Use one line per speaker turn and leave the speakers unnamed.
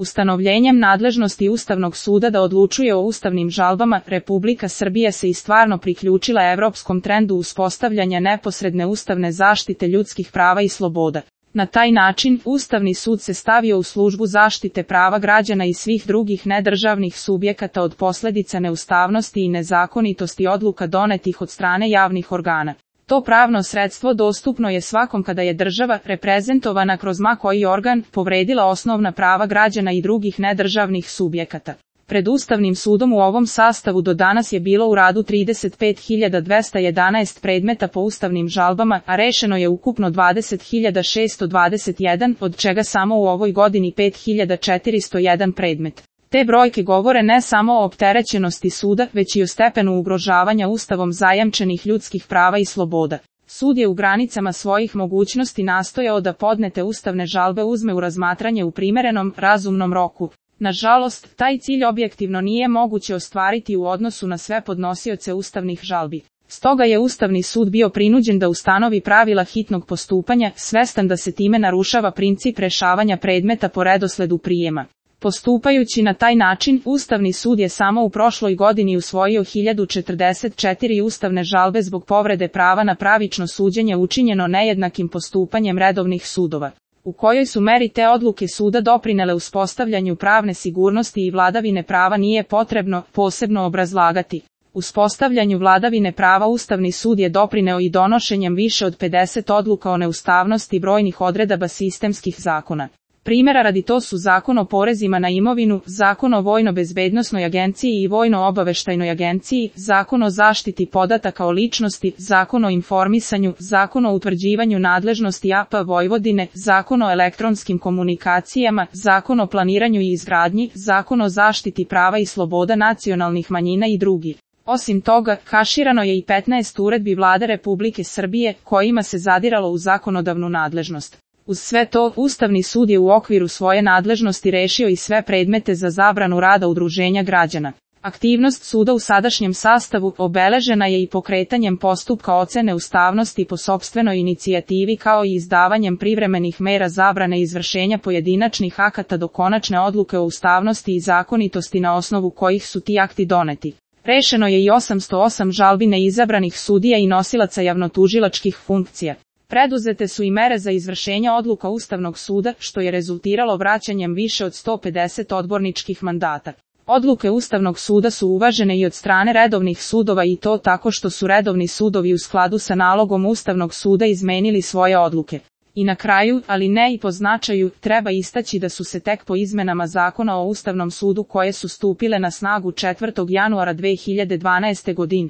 Ustanovljenjem nadležnosti Ustavnog suda da odlučuje o ustavnim žalbama, Republika Srbija se i stvarno priključila evropskom trendu uspostavljanja neposredne ustavne zaštite ljudskih prava i sloboda. Na taj način, Ustavni sud se stavio u službu zaštite prava građana i svih drugih nedržavnih subjekata od posledica neustavnosti i nezakonitosti odluka donetih od strane javnih organa. To pravno sredstvo dostupno je svakom kada je država, reprezentovana kroz ma koji organ, povredila osnovna prava građana i drugih nedržavnih subjekata. Pred Ustavnim sudom u ovom sastavu do danas je bilo u radu 35.211 predmeta po ustavnim žalbama, a rešeno je ukupno 20.621, od čega samo u ovoj godini 5.401 predmet. Te brojke govore ne samo o opterećenosti suda, već i o stepenu ugrožavanja Ustavom zajamčenih ljudskih prava i sloboda. Sud je u granicama svojih mogućnosti nastojao da podnete ustavne žalbe uzme u razmatranje u primerenom, razumnom roku. Nažalost, taj cilj objektivno nije moguće ostvariti u odnosu na sve podnosioce ustavnih žalbi. Stoga je Ustavni sud bio prinuđen da ustanovi pravila hitnog postupanja, svestan da se time narušava princip rešavanja predmeta po redosledu prijema. Postupajući na taj način, Ustavni sud je samo u prošloj godini usvojio 1044 ustavne žalbe zbog povrede prava na pravično suđenje učinjeno nejednakim postupanjem redovnih sudova. U kojoj su meri te odluke suda doprinele uspostavljanju pravne sigurnosti i vladavine prava nije potrebno posebno obrazlagati. Uspostavljanju vladavine prava Ustavni sud je doprineo i donošenjem više od 50 odluka o neustavnosti brojnih odredaba sistemskih zakona. Primjera radi to su Zakon o porezima na imovinu, Zakon o Vojno-bezbednosnoj agenciji i Vojno-obaveštajnoj agenciji, Zakon o zaštiti podataka o ličnosti, Zakon o informisanju, Zakon o utvrđivanju nadležnosti AP Vojvodine, Zakon o elektronskim komunikacijama, Zakon o planiranju i izgradnji, Zakon o zaštiti prava i sloboda nacionalnih manjina i drugi. Osim toga, kaširano je i 15 uredbi Vlade Republike Srbije, kojima se zadiralo u zakonodavnu nadležnost. Uz sve to, Ustavni sud je u okviru svoje nadležnosti rešio i sve predmete za zabranu rada udruženja građana. Aktivnost suda u sadašnjem sastavu obeležena je i pokretanjem postupka ocene ustavnosti po sopstvenoj inicijativi kao i izdavanjem privremenih mera zabrane izvršenja pojedinačnih akata do konačne odluke o ustavnosti i zakonitosti na osnovu kojih su ti akti doneti. Rešeno je i 808 žalbi neizabranih sudija i nosilaca javnotužilačkih funkcija. Preduzete su i mere za izvršenje odluka Ustavnog suda, što je rezultiralo vraćanjem više od 150 odborničkih mandata. Odluke Ustavnog suda su uvažene i od strane redovnih sudova i to tako što su redovni sudovi u skladu sa nalogom Ustavnog suda izmenili svoje odluke. I na kraju, ali ne i po značaju, treba istaći da su se tek po izmenama Zakona o Ustavnom sudu koje su stupile na snagu 4. januara 2012. godine,